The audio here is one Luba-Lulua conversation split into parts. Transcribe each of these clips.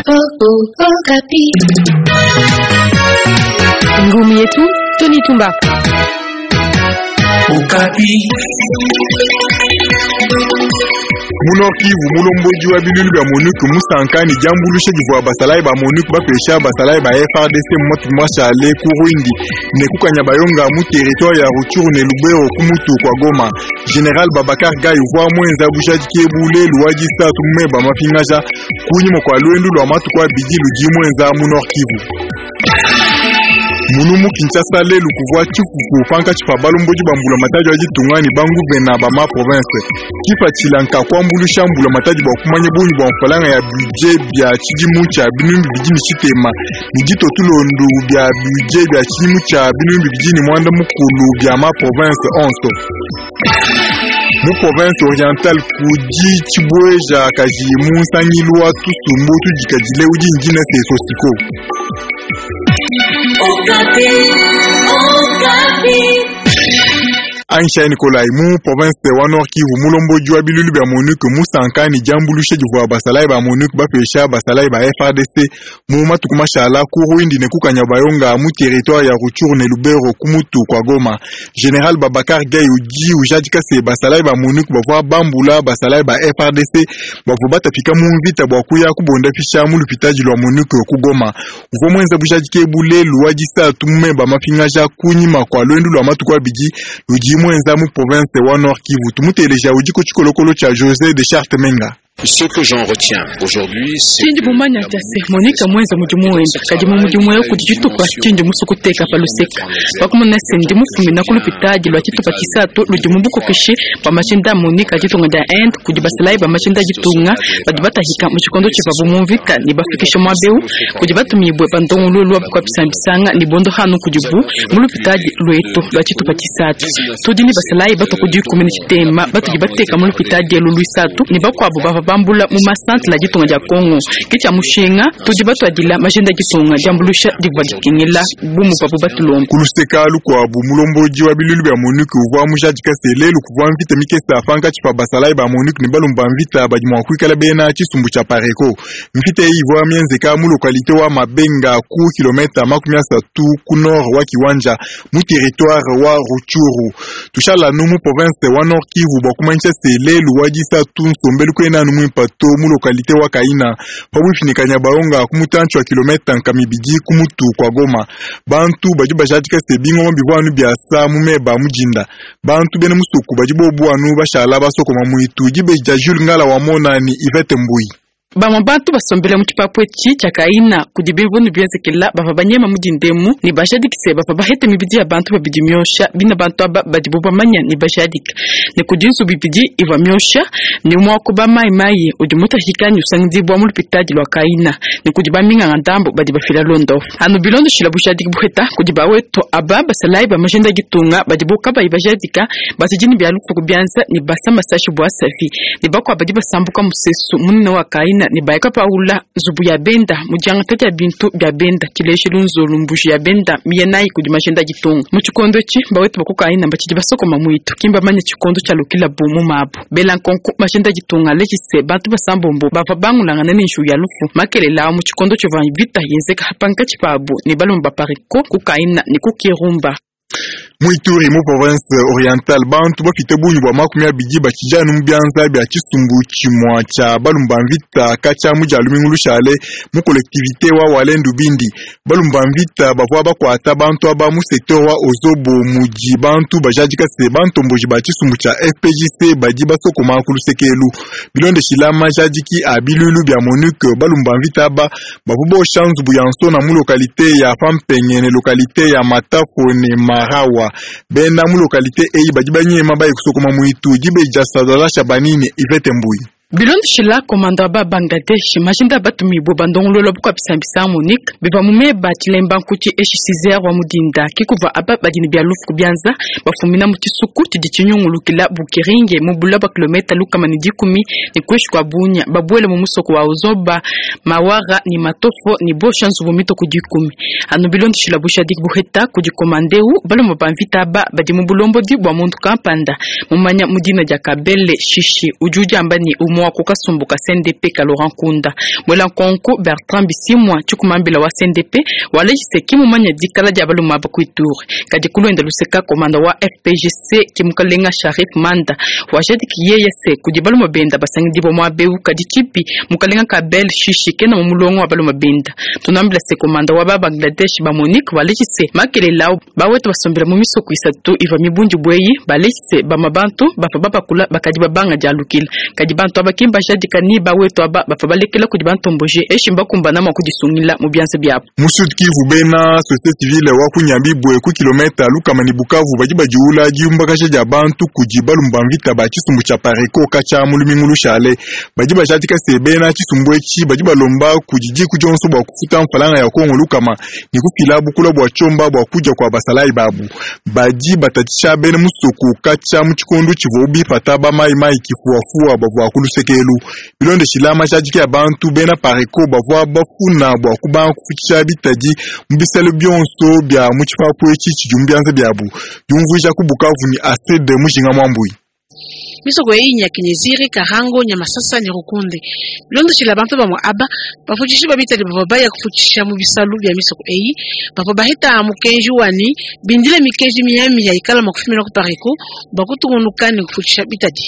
Okapi. Ngumi yetu Tony Tumba. Okapi. Mu Nord-Kivu mulombodi wa bilulu bia MONUC musanka ne diambuluisha divua basalayi ba MONUC bapesha basalayi ba FARDC mu matuku mashale ku Rwindi ne ku Kanyabayonga mu territoire ya Rutshuru ne Lubero ku mutu kua Goma. General Babacar Gaye uvua muenza bujadiki ebu lelu wa disatu mu meba mapingaja kunyima kua luendu lua matuku abidi ludi muenza mu Nord-Kivu. Munu mu Kinshasa lelu kuvua tshifufu pankatshi pa balombodi ba mbulamatadi wa ditunga ne banguvena ba ma province. Kipatshila nka kuambuluisha mbulamatadi bua kumanya bungi bua mfranga ya budget bia tshidimu tshia binunu bibidi ne tshitema ne ditua tulondu bia budget bia tshidimu tshia binunu bibidi ne muanda mukulu bia ma province onso. Mu province orientale kudi tshibueja kaji mu nsangilu wa tusumbu tudikadile udi ne dina se Sosiko. Okapi. Okapi. Aisha Nikolai mu province wa Nord Kivu mulombodi wa bilulu bia MONUC musanka ne diambuluisha divua basalayi ba MONUC bapesha basalayi ba FARDC mu matuku mashala ku Rwindi ne ku Kanyabayonga mu territoire ya Rutshuru ne Lubero ku mutu kua Goma. General Babacar Gaye udi ujadika se basalayi ba MONUC bavua bambula basalayi ba FARDC bavua batapika mu mvita bua kuya kubondapisha mu lupitadi lua MONUC ku Goma. Uvua muenza bujadiki ebu lelu wa disatu mu meba mapingaja kunyima kua luendu lua matuku abidi ludi muenza mu province wa Nord Kivu. Tumuteleja udi ku tshikolokolo tshia José de Charte Menga. Ce que j'en retiens aujourd'hui, c'est Tshindi mumanya tshia se Monica muenza mudimu wenda kadi mu mudimu eu kudi tshitupa tshindi musue kuteka pa luseka pakumona se ndi mufumina ku lupitadi lua tshitupa tshisatu ludi mu bukokeshi bua mashinda a Monica ditunga dia Inde kudi basalayi ba mashinda a ditunga badi batahika mu tshikondo tshivuabu mu mvita ne bafikisha muaba eu kudi batumibue ba ndongoluelu wa bukua-bisambisanga ne bondo hanu kudibu mu lupitadi luetu lua tshitupa tshisatu. Tudi ne basalayi batua ku dikumi ne tshitema batudi bateka mu lupitadi elu luisatu ne bakuabu bavua bambula mu masantre a ditunga dia Congo. Ke tshia mushinga tudi batuadila majinda a ditunga diambuluisha divua dikengela bu muvuabu batulomba. Ku luseka lukuabu mulombodi wa bilulu bia MONUC uvua mujadika se lelu kuvua mvita mikese pankatshi pa basalayi ba MONUC ne balumbu ba mvita badi mua kuikala bena tshisumbu tshia Pareco. Mvita eyi ivua mienzeka mu lokalite wa Mabenga ku kilometa 30 ku nord wa Kiwanja mu territoire wa Rutshuru. Tushala anu mu province wa Nord Kivu bua kumanyisha se lelu wa disatu nsombelu kena anu muimpa to mu lokalite wa Kaina pabuipi ne Kanyabayonga ku mutantshi wa kilometa nkama ibidi ku mutu kua Goma. Bantu badi bajadika se bingoma bivua anu biasa mu meba a mudinda. Bantu bena musoku badi bobu anu bashala basokoma muitu. Dibeji dia Jules Ngala wa Mona ne Yvette Mbuyi. Bamue bantu basombele mu tshipapu etshi tshia Kaina kudi bimvundu bienzekela bavua banyema mu dinda emu ne bajadike se bavua bahete mibidi ya bantu babidi miosha. Bina bantu aba badibu bamanya ne bajadika ne kudi nzubu ibidi ivua miosha ne umue wa ku ba mayi mayi udi mutahika ne usangidibua mu lupitadi lua Kaina ne kudi ba minganga ndambu badi bafila luondapu anu bilondeshila bujadiki buheta kudi ba wetu aba basalayi ba majinda a ditunga badibu kabayi bajadika batshidi ne bia lufu ku bianza ne basa masashi bua safi ne bakuabu badi basambuka musesu munene wa Kaina ne baya kapaula nzubu ya benda mu diangata dia bintu bia benda tshilejelu nzolu mbuji ya benda miya nayi kudi majinda a ditunga. Mu tshikondo etshi bawetu ba ku Kaina batshidi basokoma muitu ki mbamanye tshikondo tshialukilabu mu mabu. Bela nkonko majinda a ditunga aleje se bantu basambombo bavua bangulangana ne njiwu ya lufu makelela awu mu tshikondo tshivua mvita yenzeka pankatshi pabu ne balume ba Pareko ku Kaina ne ku Kirumba. Mu Ituri mu province orientale bantu bapite bungi bua 20 batshidi anu mu bianza bia tshisumbu tshimua tshia balume ba mvita katshia mu dia lumingu lushale mu collectivité wa Walendu Bindi. Balume ba mvita bavua bakuata bantu aba mu secteur wa Ozobo mudi bantu bajadika se bantomboji ba tshisumbu tshia FPJC badi basokoma ku luseke elu. Bilondeshila majadiki a bilulu bia MONUC balume ba mvita aba bavua bosha nzubu ya nsona mu lokalite ya Pampenge ne lokalite ya Matafo ne Marawa. Bena mu lokalite eyi badi banyema baye kusokoma muitu. Dibeji dia Sadala Shabani ne Yvette Mbuyi. Bilondeshila komanda wa ba Bangladesh majinda a batumibue ba ndongoluelu wa bukua-bisambisa MONUC bivua mu meba a tshilemba nkuti eshi 6 heures wa mu dinda ke kuvua aba badi ne bia lufu ku bianza bafumina mu tshisuku tshidi tshinyungulukila Bukiringe mu bula bua kilometa 110 ne kuinshi kua Bunia babuele mu musoko wa Ozoba Mawara ne Matofo ne bosha nzubu mitue ku dikumi. Anu bilondeshila bujadiki buheta kudi komanda eu, balume ba mvita aba badi mu bulombodi bua muntu kampanda mumanya mu dina dia Kabele Shishi udi udiamba ne umue. Mudimu wa ku kasumbu ka CNDP ka Laurent Nkunda. Muela nkonku Bertrand Bisimwa tshikumambila wa CNDP waleji se ki mumanya dikala dia baluma aba ku Ituri. Kadi ku luenda luseka komanda wa FPGC ki mukalenga Sharif Manda wajadiki yeye se kudi baluma benda basangidibua muaba eu kadi tshibi mukalenga Kabel Shishi kena mu mulongo wa baluma benda. Tunambila se komanda wa ba Bangladesh ba Monique waleji se makelela au bawetu basombela mu misoko isatu ivua mibundibue eyi baleji se bamue bantu bavua babakula bakadi babanga dialukila. Kadi bantu aba ki mbajadika ni bawetu aba bavua balekela kudi bantomboji eshi mbakumbana mua kudisungila mu bianza biabu. Mu Sud Kivu, bena societe civile wa ku Nyabibwe ku kilometa lukama ne Bukavu badi badiula diumbakaja dia bantu kudi balumbu ba mvita ba tshisumbu tshia Pareco katshia mu lumingu lushale. Badi bajadika se bena tshisumbu etshi badi balomba kudi diku dionso bua kufuta mfalanga ya Kongo lukama ne kufila bukula bua tshiomba bua kudia kua basalayi babu. Badi batatshisha bena musoko katshia mu tshikondo tshivuabu bipata ba mayi mayi kifuafua bavua ku luseke elu. Bilondeshila majadiki a bantu, bena Pareco bavua bafuna bua kubanga kufutshisha bitadi mu bisalu bionso bia mu tshipapu etshi tshidi mu bianza biabu. Diumvuija ku Bukavu ne Astrid Mujinga Muambui. Misoko eyi nya Kinyeziri, Karango, Nyamasasa ne Rukunde. Bilondeshile bantu bamue aba, bafutshishi ba bitadi bavua baya kufutshisha mu bisalu bia misoko eyi bavua baheta mukenji wa ne, bindile mikenji miamiya ikala mua kufumina ku Pareco bua kutungunuka ne kufutshisha bitadi.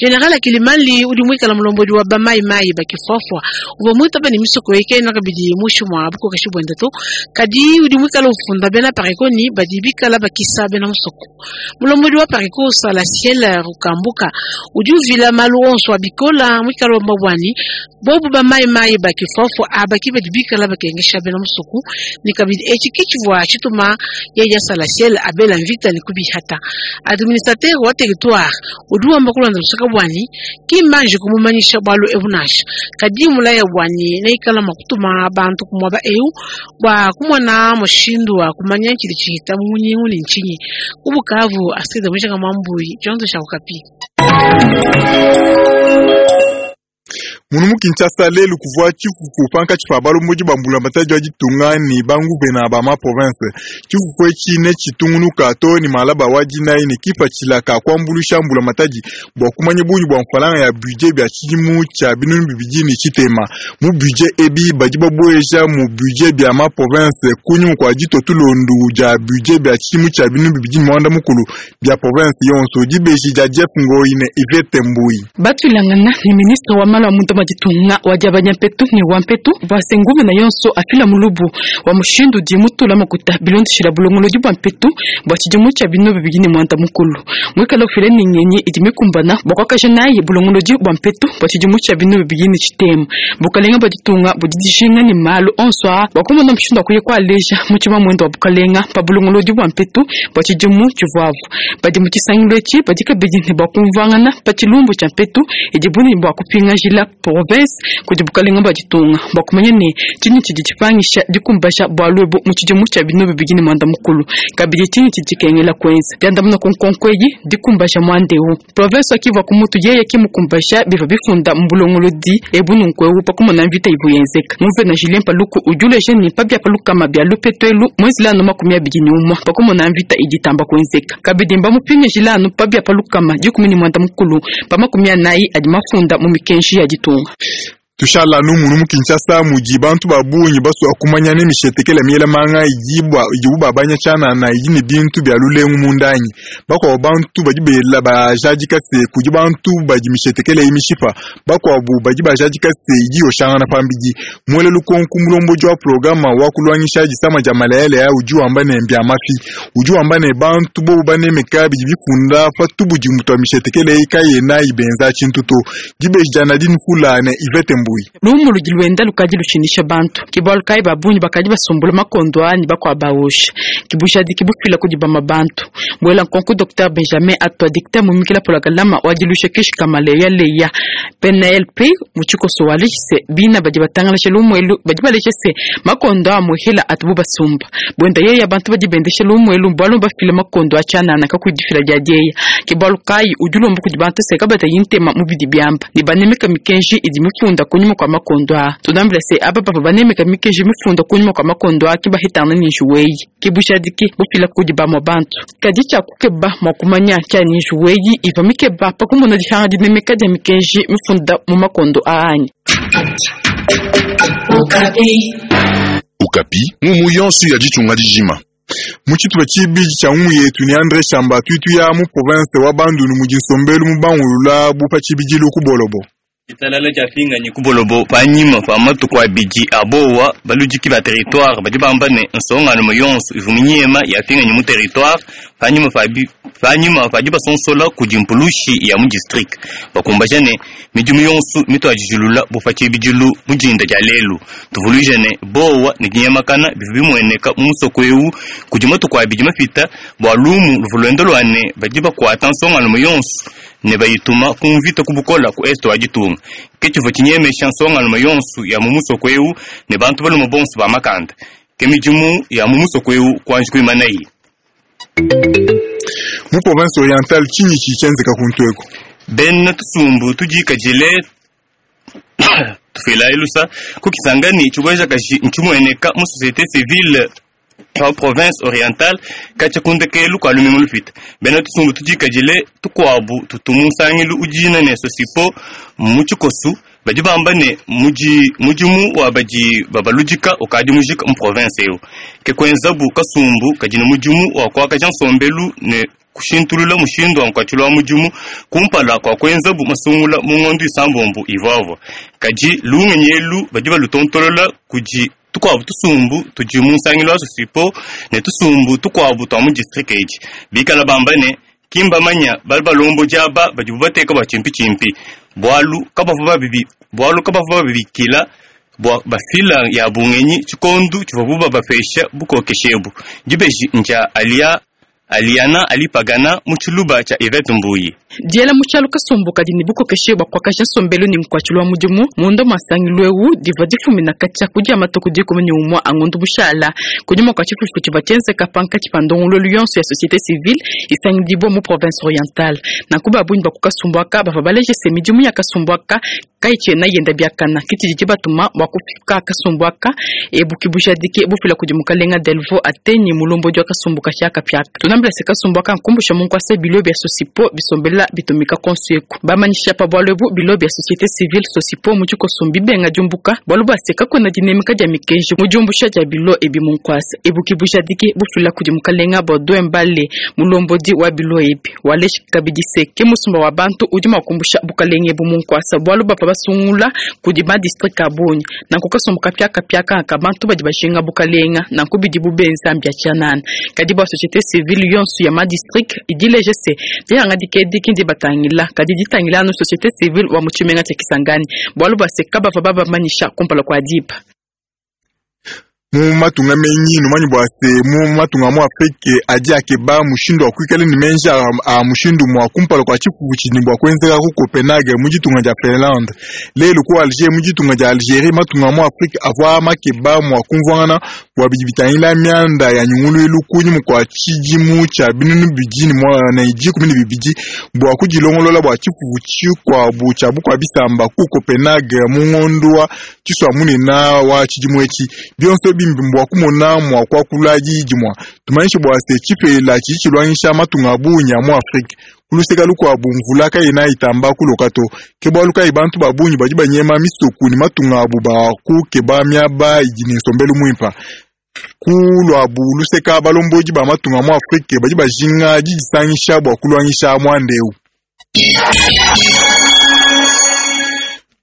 General Akilimali udi muikala mulombodi wa ba Mai Mai ba Kifuafua uvua muitaba ne misoko eyi kayena kabidi muinshi mua bukokeshi buende to, kadi udi muikala ufunda bena Pareco ne badi bikala bakisa bena musoko. Mulombodi wa Pareco Salasiel Rukambuka udi uvila malu onso a bikola muikala wamba bua ne bobu ba Mai Mai ba Kifuafua aba ki badi bikala bakengesha bena musoko ne kabidi etshi ke tshivua tshituma yeya Salasiel abela mvita ne kubihata. Administrateur wa territoire udi wamba kulonda luseka bua ne ki mbanji kumumanyisha bualu ebu nansha, kadi mulaya bua ne neikala mua kutuma bantu ku muaba eu bua kumona mushindu wa kumanya tshidi tshihita mu munyingu ne ntshinyi. Ku Bukavu, Astrid Mujinga Mwambui, tshionso tshia Okapi. Munu mu Kinshasa lelu kuvua tshifufu pankatshi pa balombodi ba mbulamatadi wa ditunga ne banguvena ba ma province. Tshifufu etshi netshitungunuka too ne malaba wa dinayi ne kipatshila ka kuambuluisha mbulamatadi bua kumanya bungi bua mfalanga ya budget bia tshidimu tshia 2030. Mu budget ebi badi babueja mu budget bia ma province kunyima kua ditua tulondu dia budget bia tshidimu tshia 2016 bia province yonso. Dibeji dia Jeff Ngoyi ne Yvette Mbuyi. Batuilangana ne ministre wa malu a munda mua ditunga wa diabanya mpetu ne wa mpetu bua se nguvena yonso afila mulubu wa mushindu udi mutula makuta bilondeshila bulongolodi bua mpetu bua tshidimu tshia 2016. Muikala ufila ne ngenyi idi mikumbana bua kuakaja nayi bulongolodi bua mpetu bua tshidimu tshia 2030. Bukalenga bua ditunga budi dijinga ne malu onso aa bua kumona mushindu wa kuya kualeja mu tshimamuende wa bukalenga pa bulongolodi bua mpetu bua tshidimu tshivuabu. Badi mu tshisangilu etshi badi kabidi ne bua kumvuangana pa tshilumbu tshia mpetu idibu ne bua kupingajila province kudi bukalenga bua ditunga bua kumanya ne tshinyi tshidi tshipangisha dikumbaja bualu ebu mu tshidimu tshia 2016, kabidi tshinyi tshidi tshikengela kuenza. Diandamuna ku nkonko eyi dikumbaja muanda eu. Province wa Kivu ku mutu yeye ki mukumbaja bivua bifunda mu bulongolodi ebu nunku eu pa kumona mvita ivua yenzeka. Nguvena Julien Paluku udi uleja ne pa bia pa lukama bia lupetu elu muenzela anu 21 pa kumona mvita idi itamba kuenzeka. Kabidi mbamupingajila anu pa bia pa lukama 14 pa 40 adi mafunda mu mikenji ya ditunga. Tushala anu munu mu Kinshasa mudi bantu ba bungi basua kumanya ne mishetekela miela manga idibu babanya tshianana idi ne bintu bia lulengu munda anyi. Bakuabu bantu badi bela bajadika se kudi bantu badi mishetekela eyi mishipa, bakuabu badi bajadika se idi yoshangana pambidi. Muele lukonku mulombodi wa programa wa kuluangisha disama dia malaya udi wamba ne mbia mafi. Udi wamba ne bantu bobu banemeka bidi bifunda pa tubudimu tua mishetekela eyi kayena ibenza tshintu to. Dibeji dia Nadine Fula ne Yvette Mbuyi. Lumu ludi luenda lukadi lutshinisha bantu. Ke bualu kayi ba bungi bakadi basumbula makondo aa ne bakuabu baosha. Ke bujadiki bufila kudi bamue bantu. Buela nkonko Docteur Benjamin Atwa dicteur mumikila pologalama wa diluisha kishi ka maleyaleya PNLP mu tshikoso waleji se bina badi batangalasha lumu elu badi baleja se makondo a muhila atubu basumba. Buenda yeya bantu badi bendesha lumu elu bualu bafila makondo a tshianana kakuyi difila dia dieya. Ke bualu kayi udi ulomba kudi bantu se kabatayi ntema mu bidi biamba ne banemeka mikenji idi mifunda kunyima. kunyima kua makondo aa. Tunambila se aba bavua banemeka mikenji mifunda kunyima kua makondo aa ke bahetangana ne njiwu eyi. Ke bujadiki bufila kudi bamue bantu. Kadi tshia kukeba mua kumanya ntshia ne njiwu eyi ivua mikeba pa kumona dihanga dinemeka dia mikenji mifunda mu makondo aa anyi? Okapi, ngumu yonso ya ditunga dijima. Mu tshitupa tshibidi tshia ngumu yetu ne Andre Shamba tudi tuya mu province wa Bandundu mudi nsombelu mubangulula bu pa tshibidilu ku Bolobo. Ditalala diapinganyi ku Bolobo panyima pa matuku abidi a bowa. Baludiki ba territoire badi bamba ne nsongalume yonso ivua minyema yapinganyi mu territoire panyima pa panyima pa dibasonsola kudi mpulushi ya mu distrike. Bakumbaja ne midimu yonso mituadijilula bu pa tshibidilu mu dinda dia lelu. Tuvuluije ne bowa ne dinyemakana bivua bimueneka mu musoko eu kudi matuku abidi mapita bua lumu luvua luenda lua ne badi bakuata nsongalume yonso ne bayituma ku mvita ku bukola ku est wa ditunga. Ke tshivua tshinyemesha nsongalume yonso ya mu musoko eu ne bantu balume bonso ba makanda. Ke midimu ya mu musoko eu kuanji kuimanayi. Mu province orientale tshinyi tshidi tshienzeka kuntu eku? Bena tusumbu tudikadile tufilayi lusa ku Kisangani tshibuejakaji ntshimueneka mu société civile wa province orientale katshia ku ndekelu kua lumingu lupita. Bena tusumbu tudikadile tukuabu tutu mu nsangilu udina ne Sosipo mu tshikosu badi bamba ne mudi mudimu wa badi babaludika ukadi mujika mu province eu. Ke kuenzabu kasumbu kadi ne mudimu wa kuakaja nsombelu ne kushintulula mushindu wa nkuatshilu wa mudimu kumpala kua kuenzabu masungula mu ngondo isambombo ivuavua. Kadi lungenyi elu badi balutontolola kudi tukuabu tusumbu tudi mu nsangilu wa Sosipo ne tusumbu tukuabu tua mu distrike edi. Bikala bamba ne ki mbamanya bali balombodi aba badibu bateka bua tshimpitshimpi bualu kabavua babibi bualu kabavua babikila bua bafila ya bungenyi tshikondo tshivuabu babapesha bukokeshi ebu. Dibeji ndia alia Aliana Alipagana mu tshiluba tshia Yvette Mbuyi. Diela mu tshialu kasumbu kadi ne bukokeshi bua kuakaja nsombelu ne nkuatshilu wa mudimu munda mua nsangilu eu divua difumina katshia ku dia matuku 11 a ngondo bushala kunyima kua tshifufu tshivua tshienzeka pankatshi pa ndongoluelu yonso ya société civile isangidibua mu province orientale. Nanku ba bungi ba ku kasumbu aka bavua baleje se midimu ya kasumbu aka kayitshiena yenda biakana ke tshidi tshibatuma bua kufika kasumbu aka ebu ke bujadiki bufila kudi mukalenga Delvaux Atenyi mulombodi wa kasumbu kapiakapiaka. Tunambila se kasumbu aka nkumbusha mu nkuasa bilo bia Sosipo bisombela bitumika konso eku. Bamanyisha pa bualu ebu bilo bia société civile Sosipo mu tshikoso mbibenga diumbuka bualu bua se kakuena dinemeka dia mikenji mu diumbusha dia bilo ebi mu nkuasa. Ebu ke bujadiki bufila kudi mukalenga Baudouin Mbale mulombodi wa bilo ebi. Waleji kabidi se ke musumba wa bantu udi mua kumbusha bukalenge ebu mu nkuasa bualu bavua basungula kudi ma district a bungi. Nanku kasumbu kapiakapiaka ka bantu badi bajinga bukalenga nanku bidibu benza mbia tshianana. Kadi bua société civile yonso ya ma district idi ileja se dihangadika edi ki ndibatangila kadi ditangila anu société civile wa mu tshimenga tshia Kisangani bualu bua se kabavua babamanyisha kumpala kua diba. Mu matunga menyi numanyi bua se mu matunga mu Afrike adi akeba mushindu wa kuikala ne menji a mushindu mua kumpala kua tshifufu tshidi ne bua kuenzeka ku Copenhague mu ditunga dia Finlande. Lelu ku Alger mu ditunga dia Algerie matunga mu Afrike avua makeba mua kumvuangana bua bidi bitangila mianda ya nyunguluilu kunyima kua tshidimu tshia 2012 bua kudilongolola bua tshifufu tshikuabu tshia bukua bisamba ku Copenhague mu ngondo wa Tshisua-munene wa tshidimu etshi. Bionso bimbi mbua kumona mua kuakula diyi dimue. Tumanyishe bua se tshipela tshidi tshiluangisha matunga a bungi a mu Afrike. Ku luseke lukuabu mvula kayena itamba kuloka to. Ke bualu kayi bantu ba bungi badi banyema misoku ne matunga abu bua kukeba miaba idi ne nsombelu muimpe. Ku luabu luseka balombodi ba matunga mu Afrike badi bajinga didisangisha bua kuluangisha muanda eu.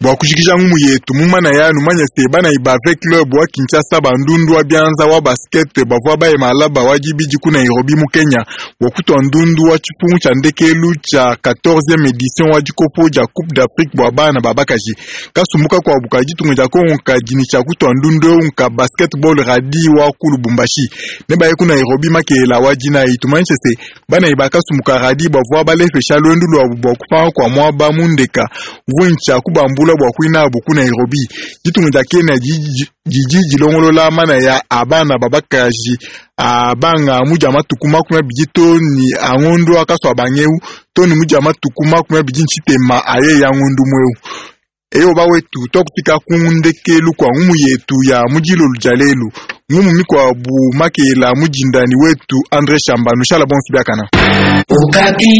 Bua kujikija ngumu yetu mu manaya, numanye se banayi ba V Club wa Kinshasa ba ndundu wa bianza wa basket bavua baye malaba wa dibidi ku Nairobi mu Kenya bua kutua ndundu wa tshipungu tshia ndekelu tshia 14e edition wa dikopo dia Coupe d'Afrique bua bana ba bakaji. Kasumbu kakuabu ka ditunga dia Kongo kadi ne tshia kutua ndundu eu nka basketball radi wa ku Lubumbashi. Nebaye ku Nairobi makelela wa dinayi. Tumanyishe se banayi ba kasumbu ka radi bavua balepesha luendu luabu bua kupanga kua muaba mu ndeka uvua ne tshia kubambula bua kuinabu ku Nairobi. Ditunga dia Kenya didi dilongolola manaya a bana ba bakaji a banga mu dia matuku 20 to ne a ngondo akasua bangeu to ne mu dia matuku 23 aye ya ngondo mweu. Eyo bawetu, tuakufika ku ndekelu kua ngumu yetu ya mu dilolu dia lelu. Ngumu mikuabu makela mudindani wetu Andre Shamba. Nushala bonso biakana. Okapi.